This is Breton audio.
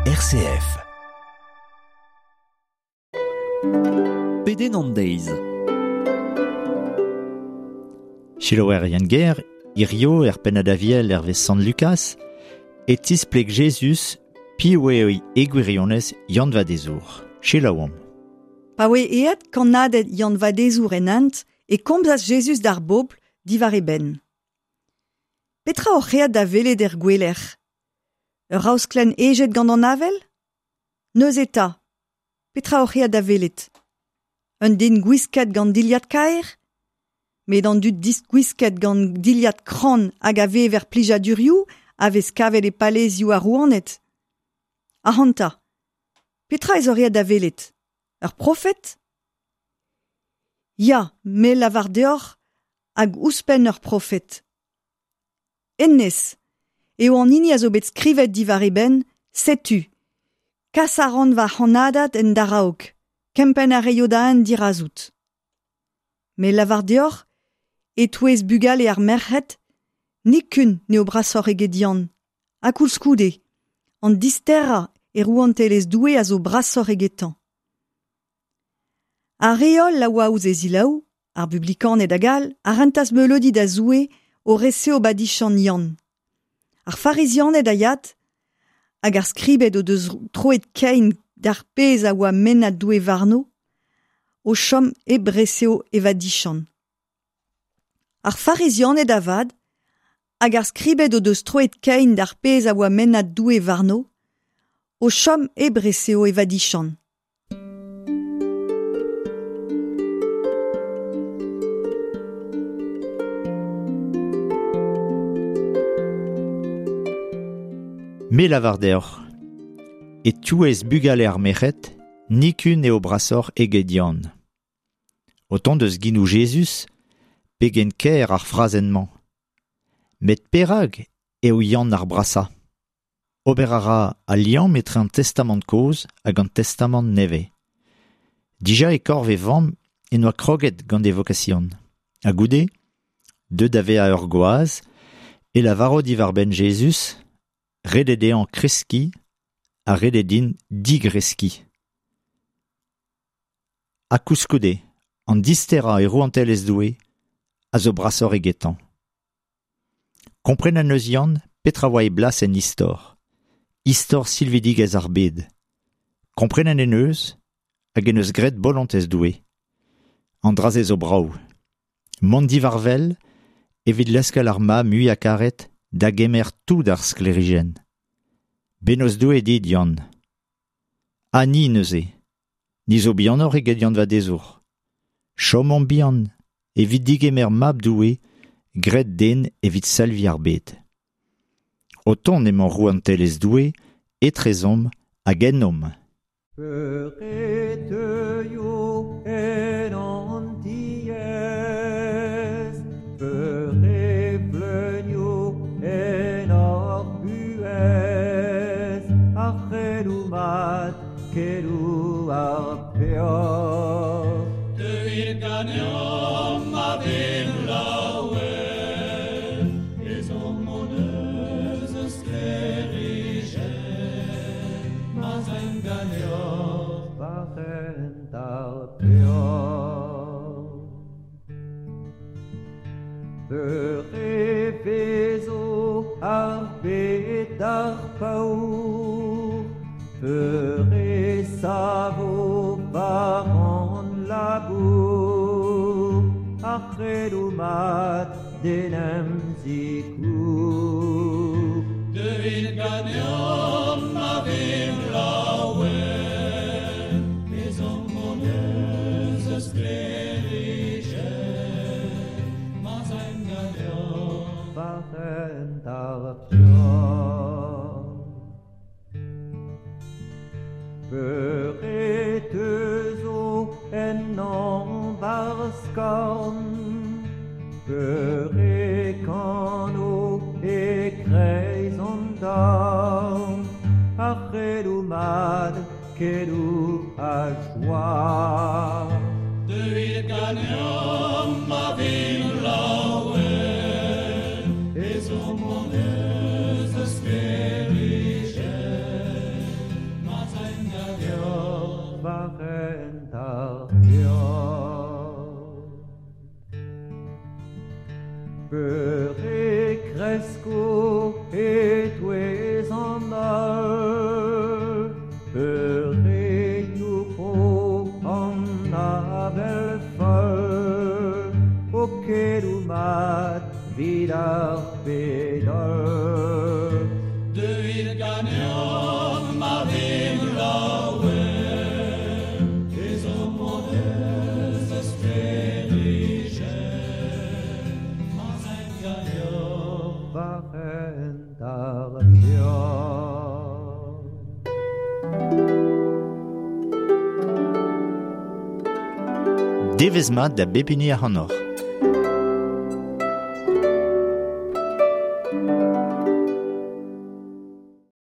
RCF. Pedenn an deiz. Selaouerien ger, hirio er pennad aviel hervez Sant Lukas, e tispleg Jezuz piv eo e gwirionez Yann Vadezour. Selaouomp. Pa oe aet kannaded Yann Vadezour en hent e komzas Jezuz d'ar bobl diwar e benn. Petra oc'h aet da welet er gouelec'h? Ur raosklenn hejet gant an avel? Neuze eta, petra oc'h aet da welet? Un den gwisket gant dilhad kaer? Met an dud disgwisket gant dilhad kran hag a vev er plijadurioù a vez kavet e palezioù ar rouaned. Ac'hanta, petra ez oc'h aet da welet? Ur profed? Ya, me lavar deoc'h hag ouzhpenn ur profed. Hennezh eo an hini a zo bet skrivet diwar e benn, setu, kas a ran va c'hannadad en daraok, kempenn a reio da hent dirazout. Me lavar deoc'h, e-touez bugale ar merc'hed, nikun n'eo brasoc'h eget Yann. Ha koulskoude, an disterañ e rouantelezh Doue a zo brasoc'h egetañ. Ar re holl a oa ouzh e selaou, ar bublikaned hag all, a rentas meuleudi da Zoue o resev badichant Yann. Ar farizianed a yad hag ar skribed o deus troet kein d'ar pezh a oa mennad Doue warno, o chom hep resev e vadichant. Ar farizianed avat hag ar skribed o deus troet kein d'ar pezh a oa mennad Doue warno, o chom hep resev e vadichant. Me lavar deoc'h, e-touez bugale ar merc'hed, nikun eo brasoc'h eget Yann. O tont eus ginoù Jezuz, pegen kaer ar frazenn-mañ. Met perak eo Yann ar brasañ? Ober a ra al liamm etre an Testamant kozh hag an Testamant nevez. Dija e korv e vamm en oa kroget gant e vokasion. Ha goude, deuet da vezañ ur gwaz, e lavaro diwar-benn Jezuz, ret eo dezhañ kreskiñ ha ret eo din digreskiñ. Ha koulskoude, an disterañ e rouantelezh Doue a zo brasoc'h egetañ. Kompren en deus Yann petra oa e blas en istor, istor silvidigezh ar bed. Kompren en deus hag en deus graet bolontez Doue. An dra-se zo brav. Mont diwar-wel evit leuskel ar mab muiañ-karet da gemer tout ar sklêrijenn. Bennozh Doue dit, Yann. Ha ni neuze, ni zo bihanoc'h eget Yann Vadezour. Chomomp bihan evit digemer mab Doue graet den evit salviñ ar bed. O tont emañ rouantelezh Doue etrezomp hag ennomp. Peur e teuio en hon tiez, peur e vleunio en hor buhez, ar c'heloù mat, keloù ar peoc'h. Deuit ganeomp ma vimp laouen, ezhomm hon eus eus sklêrijenn, ma'z aimp ganeoc'h war hent ar peoc'h. Peur e vezo ar bed d'ar paour, peur e savo war an labour, ar c'heloù mat d'en em zikour. Deuit ganeomp ma vimp laouen, ezhomm hon eus eus sklêrijenn, ma'z aimp ganeoc'h war hent ar peoc'h. Peur e teuzo ennomp ar skorn, peur e kano e-kreiz hon dorn, ar c'heloù mat, keloù a joa. Deuit ganeomp ma vimp laouen, ezhomm hon eus eus sklêrijenn, Deuit ganeomp ma vimp laouen. Ezhomm hon eus eus sklêrijenn, ma'z aimp ganeoc'h war hent ar peoc'h. Devezh mat da bep hini ac'hanoc'h.